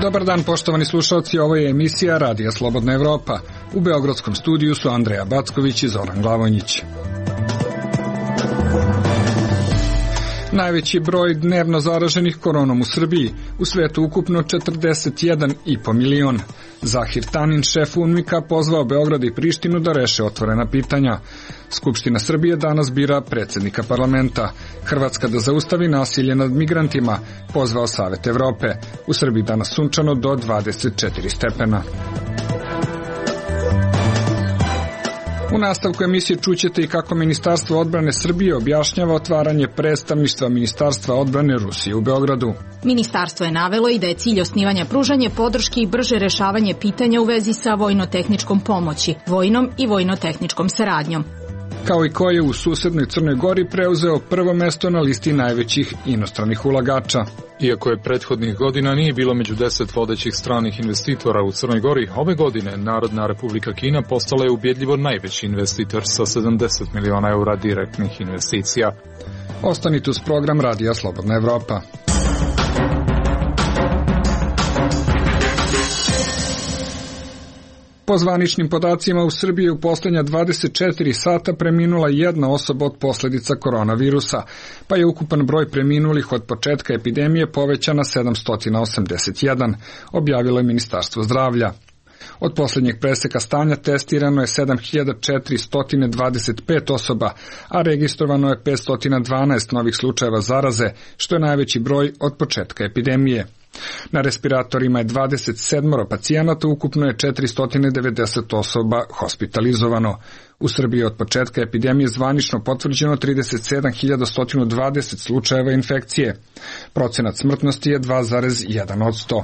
Dobar dan, poštovani slušalci, ovo je emisija Radija Slobodna Evropa. U beogradskom studiju su Andreja Backović i Zoran Glavonjić. Najveći broj dnevno zaraženih koronom u Srbiji, u svetu ukupno 41,5 milion. Zahir Tanin, šef UNMIK-a, pozvao Beograd i Prištinu da reše otvorena pitanja. Skupština Srbije danas bira predsjednika parlamenta. Hrvatska da zaustavi nasilje nad migrantima, pozvao Savet Evrope. U Srbiji danas sunčano do 24 stepena. U nastavku emisije čućete i kako Ministarstvo odbrane Srbije objašnjava otvaranje predstavništva Ministarstva odbrane Rusije u Beogradu. Ministarstvo je navelo i da je cilj osnivanja pružanje podrške i brže rešavanje pitanja u vezi sa vojno-tehničkom pomoći, vojnom i vojno-tehničkom saradnjom. Kao i ko je u susednoj Crnoj Gori preuzeo prvo mesto na listi najvećih inostranih ulagača. Iako je prethodnih godina nije bilo među 10 vodećih stranih investitora u Crnoj Gori, ove godine Narodna Republika Kina postala je ubjedljivo najveći investitor sa 70 miliona eura direktnih investicija. Ostanite uz program Radija Slobodna Evropa. Po zvaničnim podacima, u Srbiji u posljednja 24 sata preminula jedna osoba od posljedica koronavirusa, pa je ukupan broj preminulih od početka epidemije povećan na 781, objavilo je Ministarstvo zdravlja. Od posljednjeg preseka stanja testirano je 7425 osoba, a registrovano je 512 novih slučajeva zaraze, što je najveći broj od početka epidemije. Na respiratorima je 27 pacijenata, ukupno je 490 osoba hospitalizovano. U Srbiji od početka epidemije zvanično potvrđeno 37.120 slučajeva infekcije. Procenat smrtnosti je 2,1%.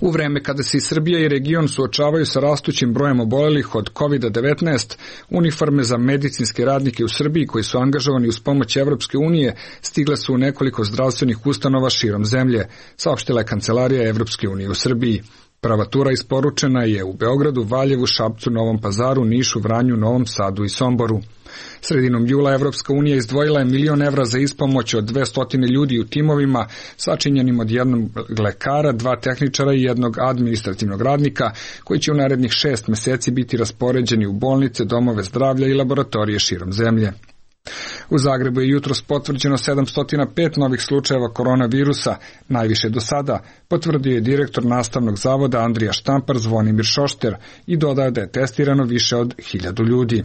U vreme kada se i Srbija i region suočavaju sa rastućim brojem obolelih od COVID-19, uniforme za medicinske radnike u Srbiji koji su angažovani uz pomoć Evropske unije stigle su u nekoliko zdravstvenih ustanova širom zemlje, saopštila je Kancelarija Evropske unije u Srbiji. Prva tura isporučena je u Beogradu, Valjevu, Šapcu, Novom Pazaru, Nišu, Vranju, Novom Sadu i Somboru. Sredinom jula Evropska unija izdvojila je 1 milion evra za ispomoć od 200 ljudi u timovima, sačinjenim od jednog lekara, 2 tehničara i jednog administrativnog radnika, koji će u narednih 6 meseci biti raspoređeni u bolnice, domove zdravlja i laboratorije širom zemlje. U Zagrebu je jutros potvrđeno 705 novih slučajeva koronavirusa, najviše do sada, potvrdio je direktor nastavnog zavoda Andrija Štampar Zvonimir Šošter i dodao da je testirano više od 1000 ljudi.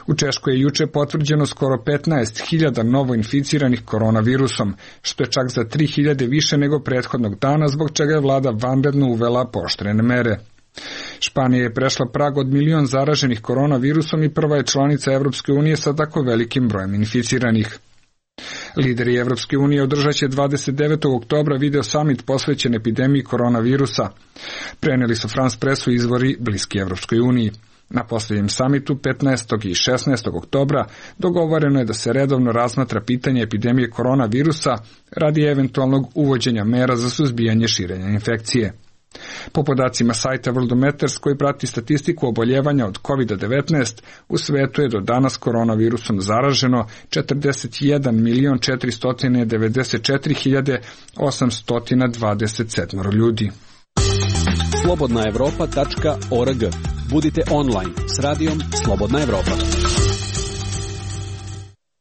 U Češkoj je juče potvrđeno skoro 15.000 novo inficiranih koronavirusom, što je čak za 3.000 više nego prethodnog dana, zbog čega je vlada vanredno uvela pooštrene mere. Španija je prešla prag od 1 milion zaraženih koronavirusom i prva je članica Evropske unije sa tako velikim brojem inficiranih. Lideri Evropske unije održat će 29. oktobra video summit posvećen epidemiji koronavirusa. Preneli su France Pressu izvori bliski Evropskoj uniji. Na posljednjem samitu 15. i 16. oktobra dogovoreno je da se redovno razmatra pitanje epidemije koronavirusa radi eventualnog uvođenja mera za suzbijanje širenja infekcije. Po podacima sajta Worldometers koji prati statistiku oboljevanja od COVID-19, u svetu je do danas koronavirusom zaraženo 41.494.827 ljudi. slobodnaevropa.org. Budite online s radijom Slobodna Evropa.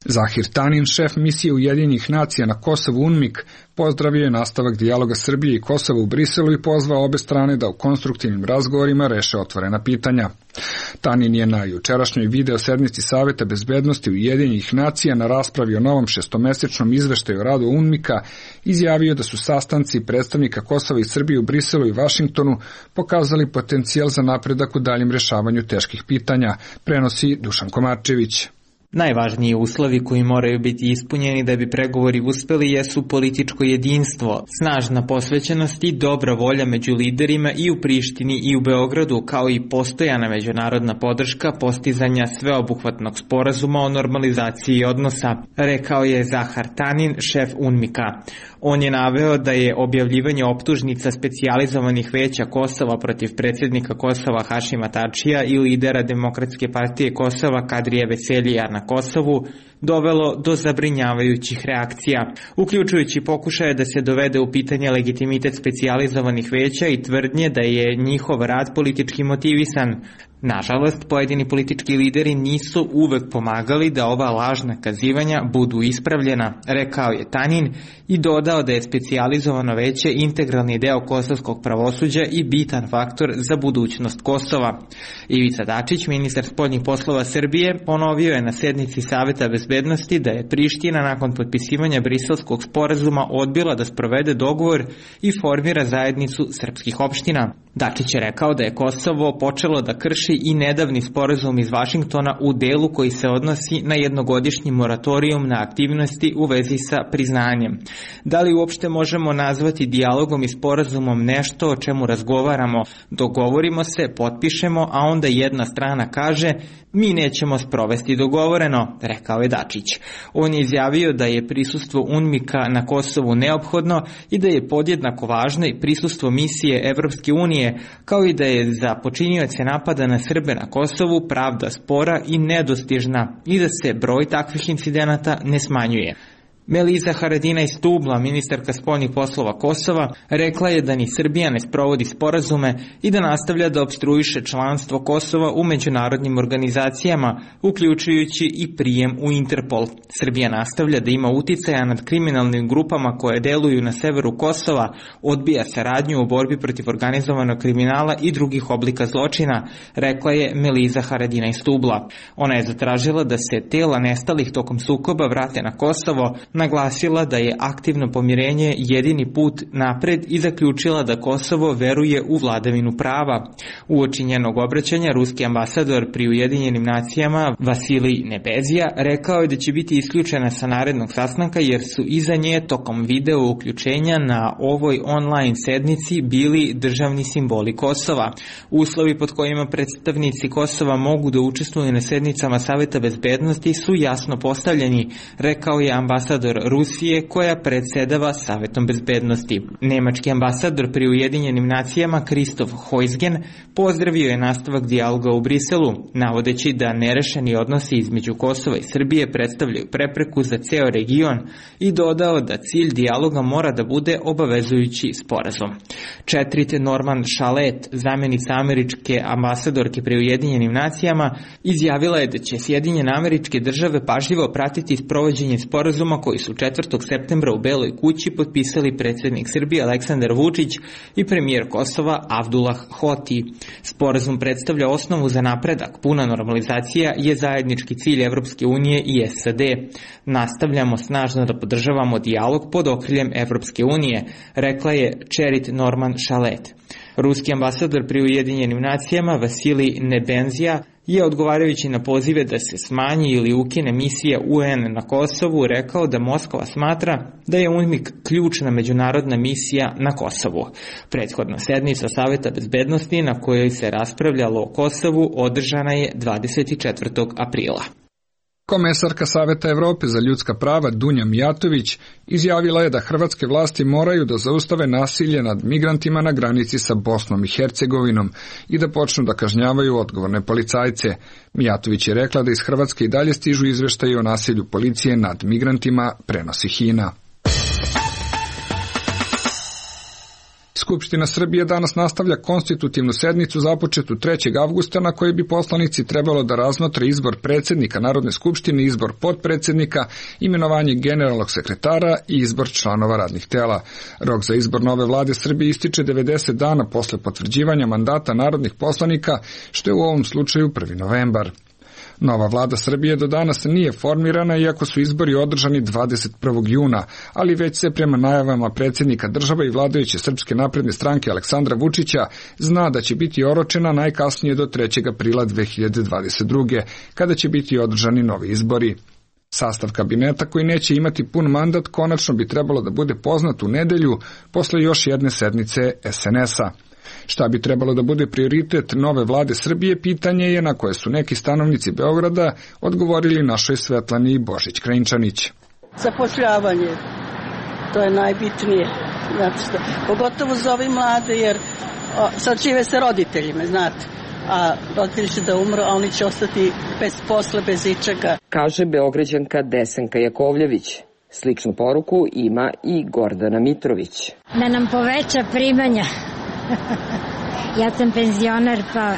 Zahir Tanin, šef misije Ujedinjenih nacija na Kosovu UNMIK, pozdravio je nastavak dijaloga Srbije i Kosova u Briselu i pozvao obe strane da u konstruktivnim razgovorima reše otvorena pitanja. Tanin je na jučerašnjoj video sednici Saveta bezbednosti Ujedinjenih nacija na raspravi o novom 6-mesečnom izveštaju o radu UNMIK-a izjavio da su sastanci predstavnika Kosova i Srbije u Briselu i Vašingtonu pokazali potencijal za napredak u daljem rešavanju teških pitanja, prenosi Dušan Komarčević. Najvažniji uslovi koji moraju biti ispunjeni da bi pregovori uspeli jesu političko jedinstvo, snažna posvećenost i dobra volja među liderima i u Prištini i u Beogradu, kao i postojana međunarodna podrška postizanja sveobuhvatnog sporazuma o normalizaciji odnosa, rekao je Zahar Tanin, šef UNMIK-a. On je naveo da je objavljivanje optužnica specijalizovanih veća Kosova protiv predsjednika Kosova Hašima Tačija i lidera Demokratske partije Kosova Kadrija Veseljija na na Kosovu dovelo do zabrinjavajućih reakcija, uključujući pokušaje da se dovede u pitanje legitimitet specijalizovanih veća i tvrdnje da je njihov rad politički motivisan. Nažalost, pojedini politički lideri nisu uvek pomagali da ova lažna kazivanja budu ispravljena, rekao je Tanin i dodao da je specijalizovano veće integralni deo kosovskog pravosuđa i bitan faktor za budućnost Kosova. Ivica Dačić, ministar spoljnih poslova Srbije, ponovio je na sednici Saveta bezbednosti da je Priština nakon potpisivanja Briselskog sporazuma odbila da sprovede dogovor i formira zajednicu srpskih opština. Dačić je rekao da je Kosovo počelo da krši i nedavni sporazum iz Vašingtona u delu koji se odnosi na jednogodišnji moratorijum na aktivnosti u vezi sa priznanjem. Da li uopšte možemo nazvati dijalogom i sporazumom nešto o čemu razgovaramo, dogovorimo se, potpišemo, a onda jedna strana kaže mi nećemo sprovesti dogovoreno, rekao je Dačić. On je izjavio da je prisustvo UNMIK-a na Kosovu neophodno i da je podjednako važno i prisustvo misije Evropske unije, kao i da je za počinioce napada na Srbe na Kosovu pravda spora i nedostižna i da se broj takvih incidenata ne smanjuje. Meliza Haradinaj Stubla, ministarka spoljnih poslova Kosova, rekla je da ni Srbija ne sprovodi sporazume i da nastavlja da opstruiše članstvo Kosova u međunarodnim organizacijama, uključujući i prijem u Interpol. Srbija nastavlja da ima uticaja nad kriminalnim grupama koje deluju na severu Kosova, odbija saradnju u borbi protiv organizovanog kriminala i drugih oblika zločina, rekla je Meliza Haradinaj Stubla. Ona je zatražila da se tela nestalih tokom sukoba vrate na Kosovo, naglasila da je aktivno pomirenje jedini put napred i zaključila da Kosovo veruje u vladavinu prava. Uoči njenog obraćanja, ruski ambasador pri Ujedinjenim nacijama Vasilij Nebezija rekao je da će biti isključena sa narednog sastanka jer su iza nje tokom video uključenja na ovoj online sednici bili državni simboli Kosova. Uslovi pod kojima predstavnici Kosova mogu da učestvuju na sednicama Saveta bezbednosti su jasno postavljeni, rekao je ambasador Rusije koja predsedava Savetom bezbednosti. Nemački ambasador pri Ujedinjenim nacijama Kristof Heusgen pozdravio je nastavak dijaloga u Briselu, navodeći da nerešeni odnosi između Kosova i Srbije predstavljaju prepreku za ceo region i dodao da cilj dijaloga mora da bude obavezujući sporazum. Četrit Norman Shalet, zamjenica američke ambasadorke pri Ujedinjenim nacijama, izjavila je da će Sjedinjene Američke Države pažljivo pratiti sprovođenje sporazuma koji su 4. septembra u Beloj kući potpisali predsjednik Srbije Aleksandar Vučić i premijer Kosova Abdullah Hoti. Sporazum predstavlja osnovu za napredak. Puna normalizacija je zajednički cilj Evropske unije i SAD. Nastavljamo snažno da podržavamo dijalog pod okriljem Evropske unije, rekla je Čerit Norman Shalet. Ruski ambasador pri Ujedinjenim nacijama Vasilij Nebenzija je odgovarajući na pozive da se smanji ili ukine misija UN na Kosovu rekao da Moskva smatra da je UNMIK ključna međunarodna misija na Kosovu. Prethodna sednica Saveta bezbednosti na kojoj se raspravljalo o Kosovu održana je 24. aprila. Komesarka Saveta Evrope za ljudska prava Dunja Mijatović izjavila je da hrvatske vlasti moraju da zaustave nasilje nad migrantima na granici sa Bosnom i Hercegovinom i da počnu da kažnjavaju odgovorne policajce. Mijatović je rekla da iz Hrvatske i dalje stižu izveštaji o nasilju policije nad migrantima, prenosi HINA. Skupština Srbije danas nastavlja konstitutivnu sednicu započetu 3. avgusta na kojoj bi poslanici trebalo da razmotre izbor predsjednika Narodne skupštine, izbor potpredsjednika, imenovanje generalnog sekretara i izbor članova radnih tela. Rok za izbor nove vlade Srbije ističe 90 dana posle potvrđivanja mandata narodnih poslanika, što je u ovom slučaju 1. novembar. Nova vlada Srbije do danas nije formirana, iako su izbori održani 21. juna, ali već se prema najavama predsjednika države i vladajuće Srpske napredne stranke Aleksandra Vučića zna da će biti oročena najkasnije do 3. aprila 2022. kada će biti održani novi izbori. Sastav kabineta koji neće imati pun mandat konačno bi trebalo da bude poznat u nedelju posle još jedne sednice SNS-a. Šta bi trebalo da bude prioritet nove vlade Srbije, pitanje je na koje su neki stanovnici Beograda odgovorili našoj Svetlani Božić-Krajinčanić. Zapošljavanje, to je najbitnije, pogotovo za ove mlade, jer sad žive sa roditeljima, znate. a roditelji će da umru, a oni će ostati bez posla, bez ičega. Kaže Beograđanka Desanka Jakovljević. Sličnu poruku ima i Gordana Mitrović. Da nam poveća primanja. Ja sam penzioner, pa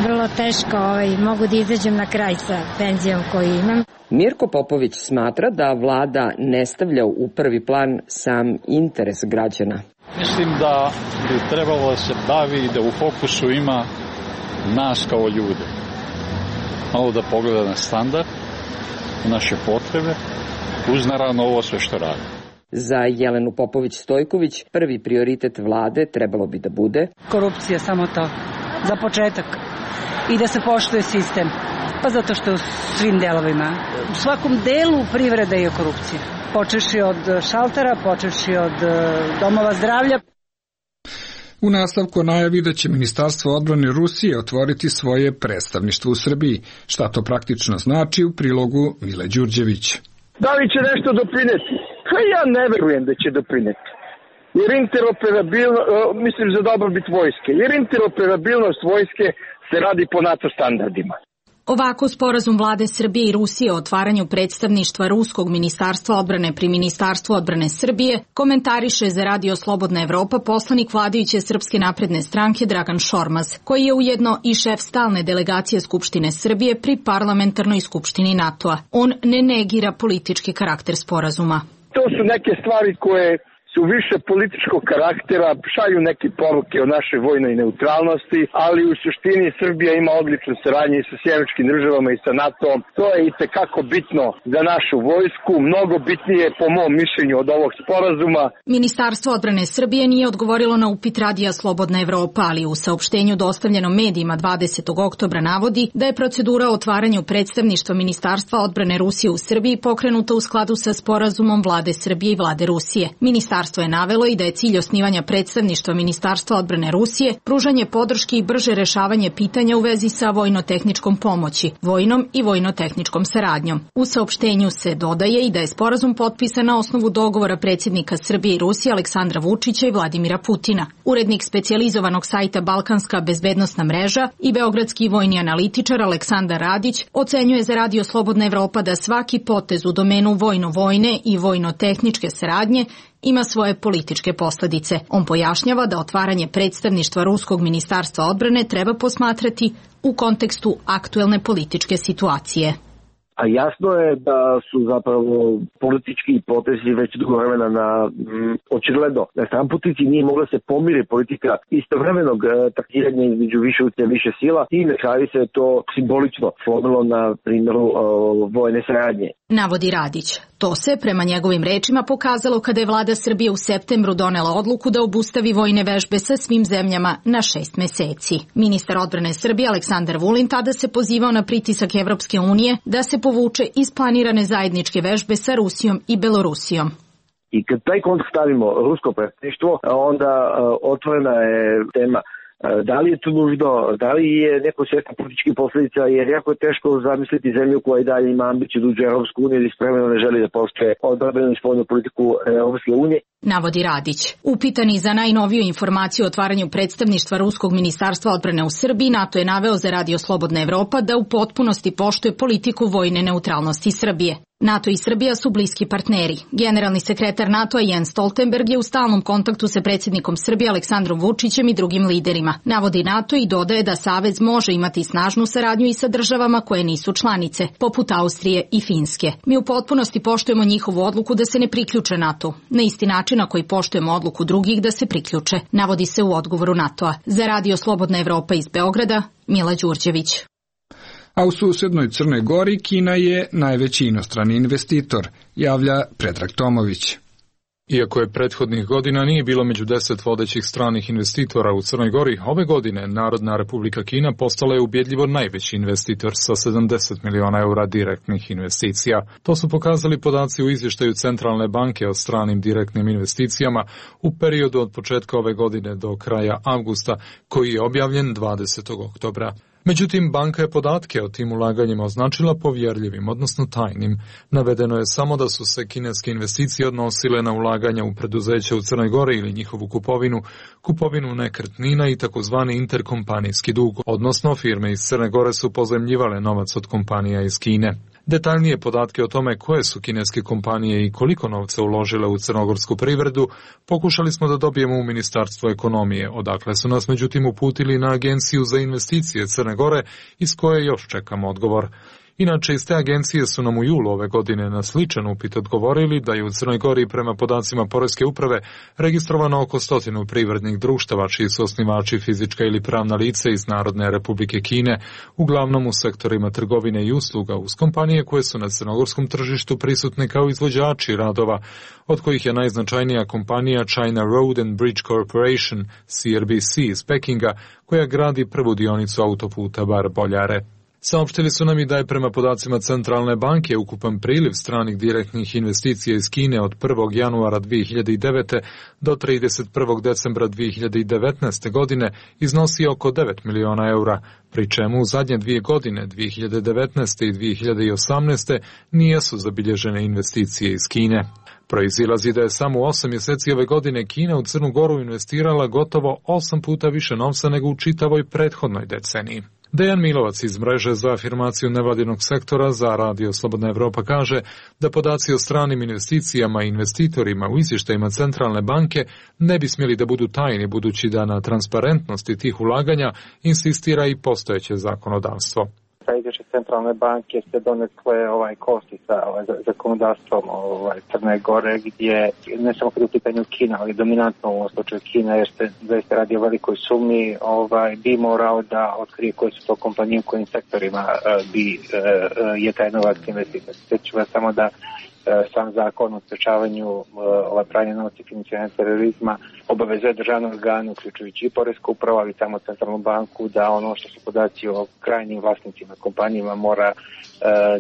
vrlo teško mogu da izađem na kraj sa penzijom koju imam. Mirko Popović smatra da vlada ne stavlja u prvi plan sam interes građana. Mislim da bi trebalo da se bavi i da u fokusu ima nas kao ljude. Malo da pogleda na standard, naše potrebe, uz naravno ovo sve što radi. Za Jelenu Popović-Stojković prvi prioritet vlade trebalo bi da bude korupcija, samo to, za početak. I da se poštuje sistem. Pa zato što u svim delovima, u svakom delu privrede je korupcija. Počeši od šaltera, počeši od domova zdravlja. U nastavku najavi da će Ministarstvo odbrane Rusije otvoriti svoje predstavništvo u Srbiji. Šta to praktično znači u prilogu Mile Đurđević. Da li će nešto doprineti? Pa ja ne verujem da će doprineti. Jer mislim za dobrobit vojske, jer interoperabilnost vojske se radi po NATO standardima. Ovako sporazum vlade Srbije i Rusije o otvaranju predstavništva Ruskog ministarstva odbrane pri Ministarstvu odbrane Srbije komentariše za Radio Slobodna Evropa poslanik vladajuće Srpske napredne stranke Dragan Šormaz, koji je ujedno i šef stalne delegacije Skupštine Srbije pri parlamentarnoj skupštini NATO-a. On ne negira politički karakter sporazuma. To su neke stvari koje su više političkog karaktera, šalju neke poruke o našoj vojnoj neutralnosti, ali u suštini Srbija ima odličnu saradnju sa Sjevernjačkim državama i sa NATO-om. To je itekako bitno za našu vojsku, mnogo bitnije po mom mišljenju od ovog sporazuma. Ministarstvo odbrane Srbije nije odgovorilo na upit Radija Slobodna Evropa, ali u saopštenju dostavljenom medijima 20. oktobra navodi da je procedura o otvaranju predstavništva Ministarstva odbrane Rusije u Srbiji pokrenuta u skladu sa sporazumom vlade Srbije i vlade Rusije. Ministarstvo je navelo i da je cilj osnivanja predstavništva Ministarstva odbrane Rusije pružanje podrške i brže rešavanje pitanja u vezi sa vojno-tehničkom pomoći, vojnom i vojno-tehničkom saradnjom. U saopštenju se dodaje i da je sporazum potpisan na osnovu dogovora predsjednika Srbije i Rusije Aleksandra Vučića i Vladimira Putina. Urednik specijalizovanog sajta Balkanska bezbednosna mreža i beogradski vojni analitičar Aleksandar Radić ocenjuje za Radio Slobodna Evropa da svaki potez u domenu vojno-vojne i vojno-tehničke saradnje ima svoje političke posljedice. On pojašnjava da otvaranje predstavništva Ruskog ministarstva odbrane treba posmatrati u kontekstu aktuelne političke situacije. A jasno je da su zapravo politički potezi već dugo vremena očigledno na stranputici nije mogla se pomiri politika istovremenog taktiranja između više utjecaja više sila i na kraju se to simbolično slomilo na primjeru vojne saradnje. Navodi Radić. To se, prema njegovim rečima, pokazalo kada je vlada Srbije u septembru donela odluku da obustavi vojne vežbe sa svim zemljama na 6 meseci. Ministar odbrane Srbije Aleksandar Vulin tada se pozivao na pritisak Evropske unije da se povuče iz planirane zajedničke vežbe sa Rusijom i Belorusijom. I kad taj kontekst stavimo rusko predstavništvo, onda otvorena je tema da li je to nužno, da li je neko svjesna političkih posljedica, jer jako je teško zamisliti zemlju koja i dalje ima ambiciju da uđe u Europsku uniju ili spremno ne želi da poštuje odbrambenu i spoljnu politiku Europske unije. Navodi Radić. Upitani za najnoviju informaciju o otvaranju predstavništva Ruskog ministarstva odbrane u Srbiji, NATO je naveo za Radio Slobodna Evropa da u potpunosti poštuje politiku vojne neutralnosti Srbije. NATO i Srbija su bliski partneri. Generalni sekretar NATO-a Jens Stoltenberg je u stalnom kontaktu sa predsjednikom Srbije Aleksandrom Vučićem i drugim liderima. Navodi NATO i dodaje da Savez može imati snažnu saradnju i sa državama koje nisu članice, poput Austrije i Finske. Mi u potpunosti poštujemo njihovu odluku da se ne priključe NATO, na isti način na koji poštujemo odluku drugih da se priključe, navodi se u odgovoru NATO-a. Za Radio Slobodna Evropa iz Beograda, Mila Đurđević. A u susednoj Crnoj Gori Kina je najveći inostrani investitor, javlja Predrag Tomović. Iako je prethodnih godina nije bilo među 10 vodećih stranih investitora u Crnoj Gori, ove godine Narodna Republika Kina postala je ubjedljivo najveći investitor sa 70 miliona eura direktnih investicija. To su pokazali podaci u izvještaju Centralne banke o stranim direktnim investicijama u periodu od početka ove godine do kraja avgusta, koji je objavljen 20. oktobra. Međutim, banka je podatke o tim ulaganjima označila povjerljivim, odnosno tajnim. Navedeno je samo da su se kineske investicije odnosile na ulaganja u preduzeća u Crnoj Gori ili njihovu kupovinu nekretnina i takozvani interkompanijski dug, odnosno firme iz Crne Gore su pozajmljivale novac od kompanija iz Kine. Detaljnije podatke o tome koje su kineske kompanije i koliko novca uložile u crnogorsku privredu pokušali smo da dobijemo u Ministarstvo ekonomije, odakle su nas međutim uputili na Agenciju za investicije Crne Gore, iz koje još čekamo odgovor. Inače, iz te agencije su nam u julu ove godine na sličan upit odgovorili da je u Crnoj Gori prema podacima Poreske uprave registrovano oko 100 privrednih društava čiji su osnivači fizička ili pravna lica iz Narodne Republike Kine, uglavnom u sektorima trgovine i usluga, uz kompanije koje su na crnogorskom tržištu prisutne kao izvođači radova, od kojih je najznačajnija kompanija China Road and Bridge Corporation, CRBC iz Pekinga, koja gradi prvu dionicu autoputa Bar-Boljare. Saopštili su nam i da je prema podacima Centralne banke ukupan priliv stranih direktnih investicija iz Kine od 1. januara 2009. do 31. decembra 2019. godine iznosi oko 9 miliona eura, pri čemu u zadnje 2 godine, 2019. i 2018. nijesu zabilježene investicije iz Kine. Proizilazi da je samo u 8 mjeseci ove godine Kina u Crnu Goru investirala gotovo 8 puta više novca nego u čitavoj prethodnoj deceniji. Dejan Milovac iz mreže za afirmaciju nevladinog sektora za Radio Slobodna Evropa kaže da podaci o stranim investicijama i investitorima u izvještajima Centralne banke ne bi smjeli da budu tajni, budući da na transparentnosti tih ulaganja insistira i postojeće zakonodavstvo. Sa izvješće Centralne banke se donekle kosi sa zakonodavstvom Crne Gore, gdje ne samo kada je u pitanju Kina, ali dominantno u ovom slučaju Kina, jer se zaista radi o velikoj sumi, bi morao da otkrije koje su to kompanije, u kojim sektorima je taj novac investitor. Sjeću vas samo da sam zakon o sprečavanju pranja novca i financiranja terorizma obavezuje državne organe, uključujući i Poresku upravu, ali samo Centralnu banku, da ono što su podaci o krajnjim vlasnicima kompanijama mora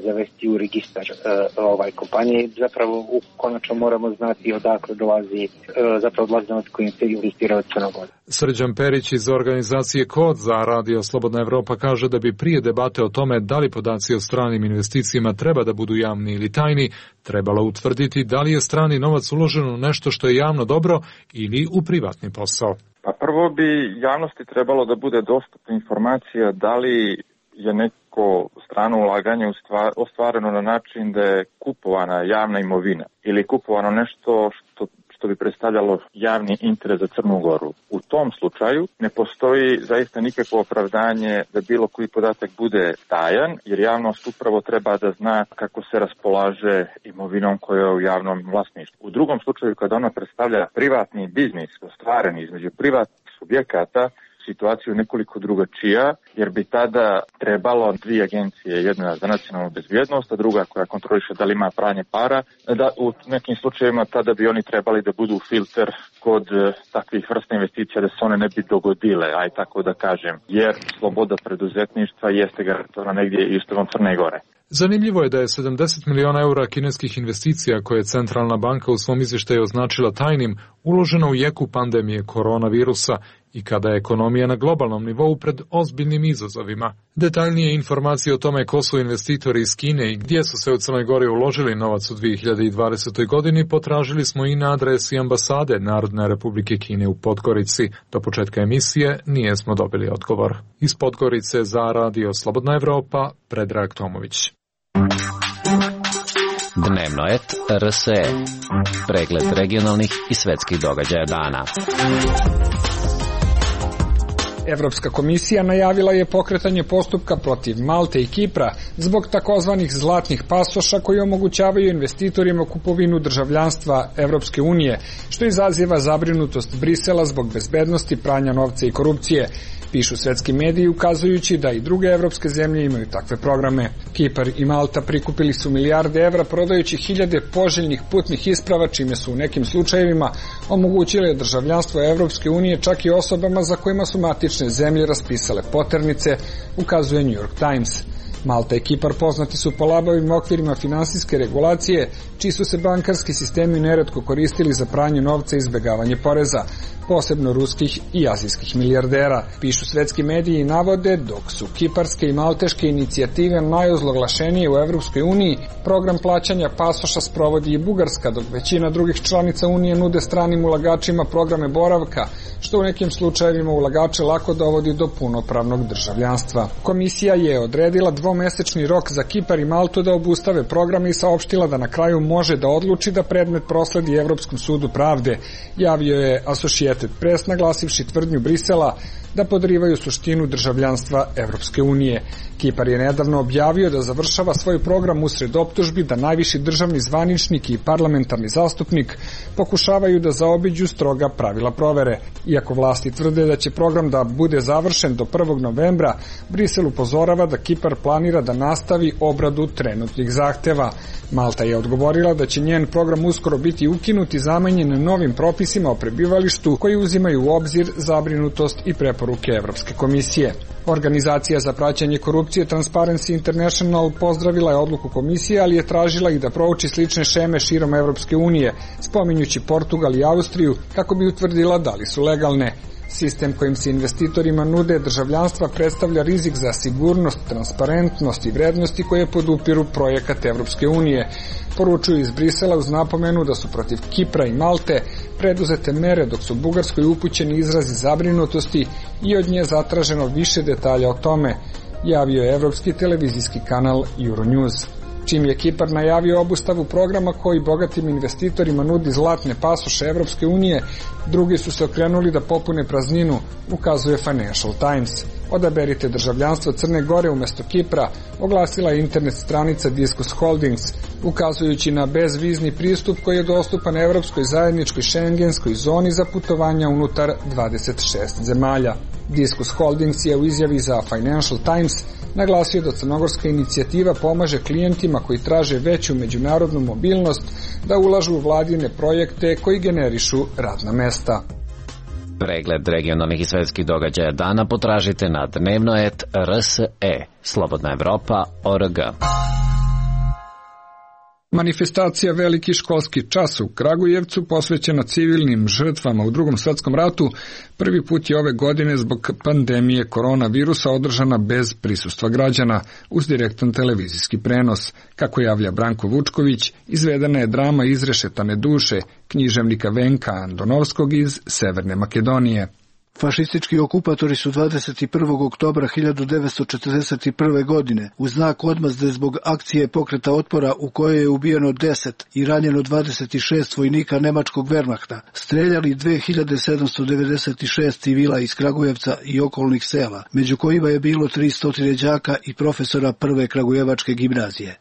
zavesti u registar kompanije. Zapravo konačno moramo znati odakle dolazi novac koji se investira od Crne Gore. Srđan Perić iz organizacije Kod za Radio Slobodna Evropa kaže da bi prije debate o tome da li podaci o stranim investicijama treba da budu javni ili tajni, trebalo utvrditi da li je strani novac uložen u nešto što je javno dobro ili u privatni posao. Pa prvo bi javnosti trebalo da bude dostupna informacija da li je neko strano ulaganje ostvareno na način da je kupovana javna imovina ili kupovano nešto što bi predstavljalo javni interes za Crnu Goru. U tom slučaju ne postoji zaista nikakvo opravdanje da bilo koji podatak bude tajan, jer javnost upravo treba da zna kako se raspolaže imovinom koja je u javnom vlasništvu. U drugom slučaju, kada ona predstavlja privatni biznis ostvaren između privatnih subjekata, situaciju nekoliko drugačija, jer bi tada trebalo dvije agencije, jedna za nacionalnu bezbjednost, a druga koja kontroliše da li ima pranje para, da u nekim slučajevima tada bi oni trebali da budu filter kod takvih vrsta investicija da se one ne bi dogodile, aj tako da kažem, jer sloboda preduzetništva jeste garantovana negdje i Ustavom Crne Gore. Zanimljivo je da je 70 miliona eura kineskih investicija koje je Centralna banka u svom izvještaju označila tajnim uloženo u jeku pandemije koronavirusa i kada je ekonomija na globalnom nivou pred ozbiljnim izazovima. Detaljnije informacije o tome ko su investitori iz Kine i gdje su se u Crnoj Gori uložili novac u 2020. godini potražili smo i na adresi ambasade Narodne Republike Kine u Podgorici. Do početka emisije nije smo dobili odgovor. Iz Podgorice za Radio Slobodna Evropa, Predrag Tomović. Dnevnoet RSE. Pregled regionalnih i svetskih događaja dana. Evropska komisija najavila je pokretanje postupka protiv Malte i Kipra zbog takozvanih zlatnih pasoša koji omogućavaju investitorima kupovinu državljanstva Evropske unije, što izaziva zabrinutost Brisela zbog bezbednosti, pranja novca i korupcije. Pišu svetski mediji ukazujući da i druge evropske zemlje imaju takve programe. Kipar i Malta prikupili su milijarde evra prodajući hiljade poželjnih putnih isprava, čime su u nekim slučajevima omogućile državljanstvo Evropske unije čak i osobama za kojima su matične zemlje raspisale poternice, ukazuje New York Times. Malta i Kipar poznati su po labavim okvirima finansijske regulacije, čiji su se bankarski sistemi neretko koristili za pranje novca i izbegavanje poreza, posebno ruskih i azijskih milijardera, pišu svetski mediji i navode, dok su kiparske i malteške inicijative najozloglašenije u Evropskoj uniji, program plaćanja pasoša sprovodi i Bugarska, dok većina drugih članica Unije nude stranim ulagačima programe boravka, što u nekim slučajevima ulagače lako dovodi do punopravnog državljanstva. Komisija je odredila dvomesečni rok za Kipar i Maltu da obustave programe i saopštila da na kraju može da odluči da predmet prosledi Evropskom sudu pravde, javio je Associated Press, naglasivši tvrdnju Brisela da podrivaju suštinu državljanstva Evropske unije. Kipar je nedavno objavio da završava svoj program usred optužbi da najviši državni zvaničnik i parlamentarni zastupnik pokušavaju da zaobiđu stroga pravila provere. Iako vlasti tvrde da će program da bude završen do 1. novembra, Brisel upozorava da Kipar planira da nastavi obradu trenutnih zahteva. Malta je odgovorila da će njen program uskoro biti ukinut i zamenjen novim propisima o prebivalištu koji uzimaju u obzir zabrinutost i preporuke Evropske komisije. Organizacija za praćenje korupcije Transparency International pozdravila je odluku komisije, ali je tražila i da prouči slične šeme širom Evropske unije, spominjući Portugal i Austriju, kako bi utvrdila da li su legalne. Sistem kojim se investitorima nude državljanstva predstavlja rizik za sigurnost, transparentnost i vrednosti koje podupiru projekat Evropske unije. Poručuju iz Brisela uz napomenu da su protiv Kipra i Malte preduzete mere, dok su Bugarskoj upućeni izrazi zabrinutosti i od nje zatraženo više detalja o tome, javio je evropski televizijski kanal Euronews. Čim je Kipar najavio obustavu programa koji bogatim investitorima nudi zlatne pasoše Evropske unije, drugi su se okrenuli da popune prazninu, ukazuje Financial Times. Odaberite državljanstvo Crne Gore umesto Kipra, oglasila je internet stranica Discus Holdings, ukazujući na bezvizni pristup koji je dostupan Evropskoj zajedničkoj šengenskoj zoni za putovanja unutar 26 zemalja. Discus Holdings je u izjavi za Financial Times naglasio da crnogorska inicijativa pomaže klijentima koji traže veću međunarodnu mobilnost da ulažu u vladine projekte koji generišu radna mesta. Pregled regionalnih i svetskih događaja dana potražite na dnevnoet.rse, Slobodna Evropa.org. Manifestacija Veliki školski čas u Kragujevcu, posvećena civilnim žrtvama u Drugom svetskom ratu, prvi put je ove godine zbog pandemije koronavirusa održana bez prisustva građana, uz direktan televizijski prenos. Kako javlja Branko Vučković, izvedena je drama Izrešetane duše književnika Venka Andonovskog iz Severne Makedonije. Fašistički okupatori su 21. oktobra 1941. godine u znak odmazde zbog akcije pokreta otpora u kojoj je ubijeno 10 i ranjeno 26 vojnika nemačkog Wehrmachta, streljali 2796 civila iz Kragujevca i okolnih sela, među kojima je bilo 300 đaka i profesora prve kragujevačke gimnazije.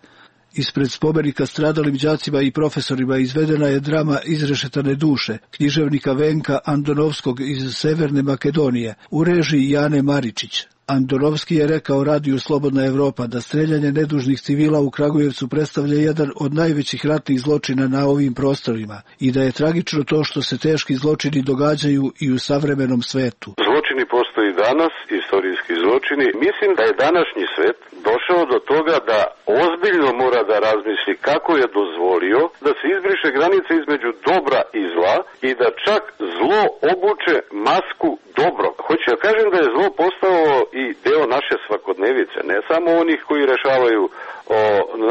Ispred spomenika stradalim đacima i profesorima izvedena je drama Izrešetane duše književnika Venka Andonovskog iz Severne Makedonije u režiji Jane Maričić. Andonovski je rekao radiju Slobodna Evropa da streljanje nedužnih civila u Kragujevcu predstavlja jedan od najvećih ratnih zločina na ovim prostorima i da je tragično to što se teški zločini događaju i u savremenom svetu. Zločini postoji danas, istorijski zločini. Mislim da je današnji svet došao do toga da ozbiljno mora da razmisli kako je dozvolio da se izbriše granica između dobra i zla i da čak zlo obuče masku dobro. Hoću ja kažem da je zlo postao i deo naše svakodnevice, ne samo onih koji rešavaju o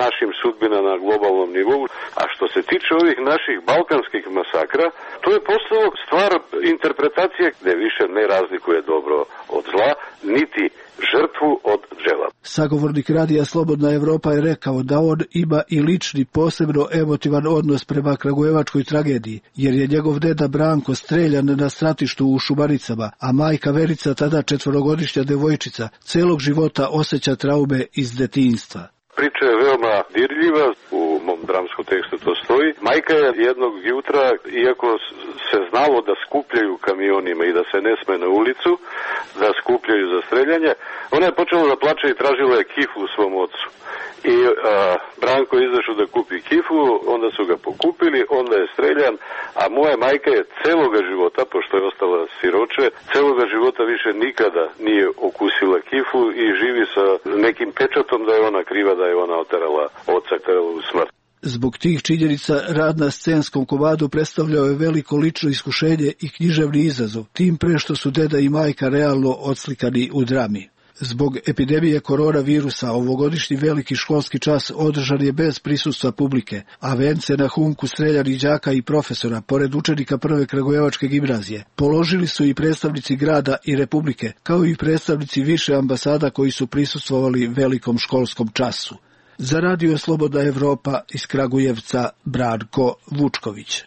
našim sudbina na globalnom nivou, a što se tiče ovih naših balkanskih masakra, to je postalo stvar interpretacije gde više ne razlikuje dobro od zla, niti žrtvu od džela. Sagovornik radija Slobodna Evropa je rekao da on ima i lični posebno emotivan odnos prema kragujevačkoj tragediji, jer je njegov deda Branko streljan na stratištu u Šumaricama, a majka Verica, tada 4-godišnja devojčica, celog života osjeća traume iz detinjstva. Priča je veoma dirljiva, u mom dramskom tekstu to stoji. Majka je jednog jutra, iako se znalo da skupljaju kamionima i da se ne sme na ulicu, da skupljaju za streljanje, ona je počela da plače i tražila je kifu u svom ocu. I Branko je izašao da kupi kifu, onda su ga pokupili, onda je streljan, a moja majka je celoga života, pošto je ostala siroče, celoga života više nikada nije okusila kifu i živi sa nekim pečatom da je ona kriva, da je ona oterala oca u smrt. Zbog tih činjenica rad na scenskom komadu predstavljao je veliko lično iskušenje i književni izazov, tim pre što su deda i majka realno odslikani u drami. Zbog epidemije koronavirusa ovogodišnji veliki školski čas održan je bez prisustva publike, a vence na humku streljanih đaka i profesora, pored učenika Prve Kragujevačke gimnazije, položili su i predstavnici grada i republike, kao i predstavnici više ambasada koji su prisustvovali velikom školskom času. Za Radio Slobodna Evropa iz Kragujevca Branko Vučković.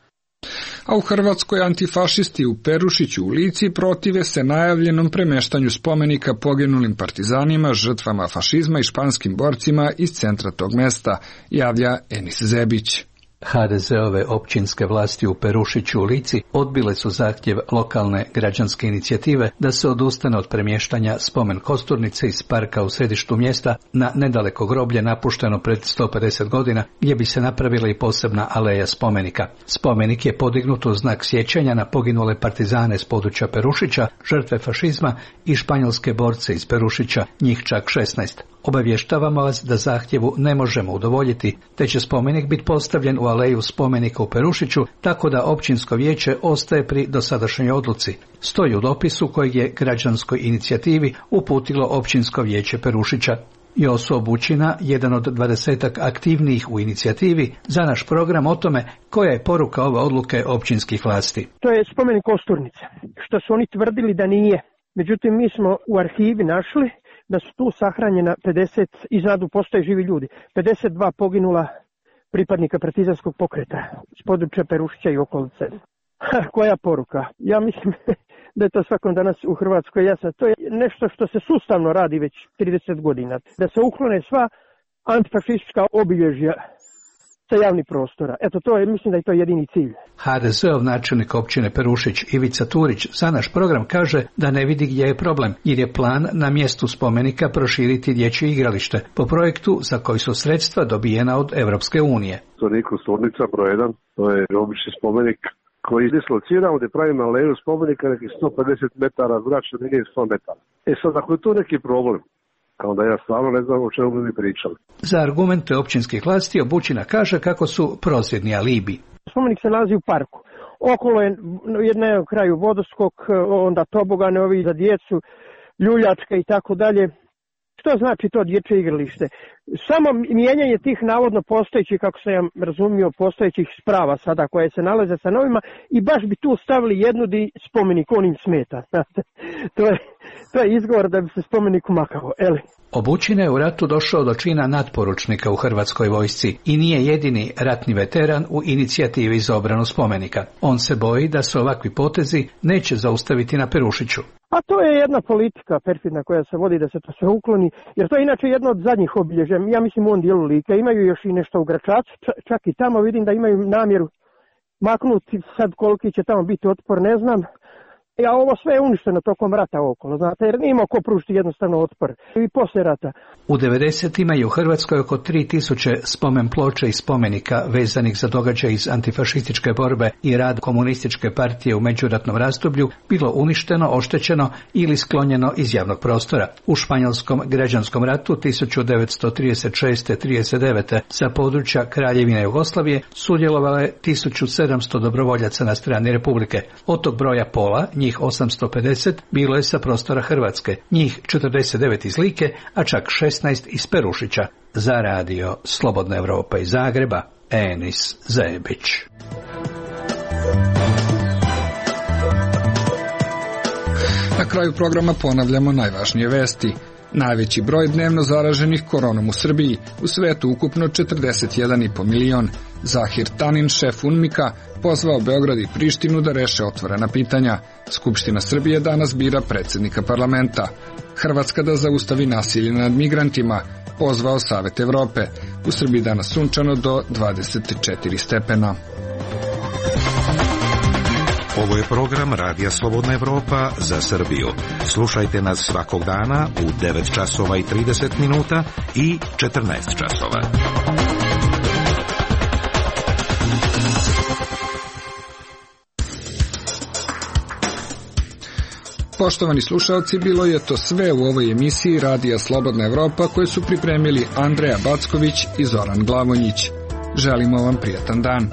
A u Hrvatskoj antifašisti u Perušiću u Lici protive se najavljenom premeštanju spomenika poginulim partizanima, žrtvama fašizma i španskim borcima iz centra tog mesta, javlja Enis Zebić. HDZ-ove općinske vlasti u Perušiću u Lici odbile su zahtjev lokalne građanske inicijative da se odustane od premještanja spomen kosturnice iz parka u središtu mjesta na nedaleko groblje napušteno pred 150 godina gdje bi se napravila i posebna aleja spomenika. Spomenik je podignut u znak sjećanja na poginule partizane s područja Perušića, žrtve fašizma i španjolske borce iz Perušića, njih čak 16. Obavještavamo vas da zahtjevu ne možemo udovoljiti, te će spomenik biti postavljen u aleju spomenika u Perušiću, tako da općinsko vijeće ostaje pri dosadašnjoj odluci. Stoji u dopisu kojeg je građanskoj inicijativi uputilo općinsko vijeće Perušića. Joso Bućina, jedan od 20-ak aktivnijih u inicijativi, za naš program o tome koja je poruka ove odluke općinskih vlasti. To je spomenik kosturnice, što su oni tvrdili da nije. Međutim, mi smo u arhivi našli da su tu sahranjena 50, iznadu postoje živi ljudi, 52 poginula pripadnika partizanskog pokreta s područja Perušića i okolice. Koja poruka? Ja mislim da je to svakom danas u Hrvatskoj jasno. To je nešto što se sustavno radi već 30 godina. Da se uklone sva antifašistička obilježja sa javnih prostora. Eto, to je, mislim da je to jedini cilj. HDZ-ov načelnik općine Perušić Ivica Turić za naš program kaže da ne vidi gdje je problem, jer je plan na mjestu spomenika proširiti dječje igralište po projektu za koji su sredstva dobijena od Europske unije. To nije kosturnica broj 1, to je obični spomenik koji dislociramo gdje pravimo aleju spomenika nekih 150 metara zračne linije 100 metara. Sad, ako je to neki problem, onda ja stvarno ne znam o čemu bi mi pričali. Za argumente općinskih vlasti Bućina kaže kako su prosvjedni alibi. Spomenik se nalazi u parku. Okolo je na kraju vodoskok, onda tobogane ovi za djecu, ljuljačka i tako dalje. Što znači to dječje igralište? Samo mijenjanje tih navodno postojećih, kako sam ja razumio, postojećih sprava sada koje se nalaze sa novima i baš bi tu stavili jednu di spomenik onim smeta. To je izgovor da bi se spomenik umakao. Bućina je u ratu došao do čina natporučnika u Hrvatskoj vojsci i nije jedini ratni veteran u inicijativi za obranu spomenika. On se boji da se ovakvi potezi neće zaustaviti na Perušiću. A to je jedna politika perfidna koja se vodi da se to sve ukloni, jer to je inače jedno od zadnjih obilježja. Ja mislim u ovom dijelu Like imaju još i nešto u Gračacu, čak i tamo vidim da imaju namjeru maknuti, sad koliki će tamo biti otpor, ne znam. A ovo sve je uništeno tokom rata okolo, znate, jer nije imao ko pružiti jednostavno otpor i poslije rata. U 90-ima je u Hrvatskoj oko 3000 spomen ploča i spomenika vezanih za događaj iz antifašističke borbe i rad komunističke partije u međuratnom razdoblju bilo uništeno, oštećeno ili sklonjeno iz javnog prostora. U španjolskom građanskom ratu 1936-39 sa područja Kraljevine Jugoslavije sudjelovalo je 1700 dobrovoljaca na strani Republike. Od tog broja pola, njih 850, bilo je sa prostora Hrvatske, njih 49 iz Like, a čak 16 iz Perušića. Za radio Slobodna Evropa iz Zagreba, Enis Zebić. Na kraju programa ponavljamo najvažnije vesti. Najveći broj dnevno zaraženih koronom u Srbiji, u svetu ukupno 41,5 milion. Zahir Tanin, šef UNMIK-a, pozvao Beograd i Prištinu da reše otvorena pitanja. Skupština Srbije danas bira predsjednika parlamenta. Hrvatska da zaustavi nasilje nad migrantima, pozvao Savet Evrope. U Srbiji danas sunčano do 24 stepena. Ovo je program Radija Slobodna Evropa za Srbiju. Slušajte nas svakog dana u 9 časova i 30 minuta i 14 časova. Poštovani slušalci, bilo je to sve u ovoj emisiji Radija Slobodna Evropa koje su pripremili Andreja Backović i Zoran Glavonjić. Želimo vam prijatan dan.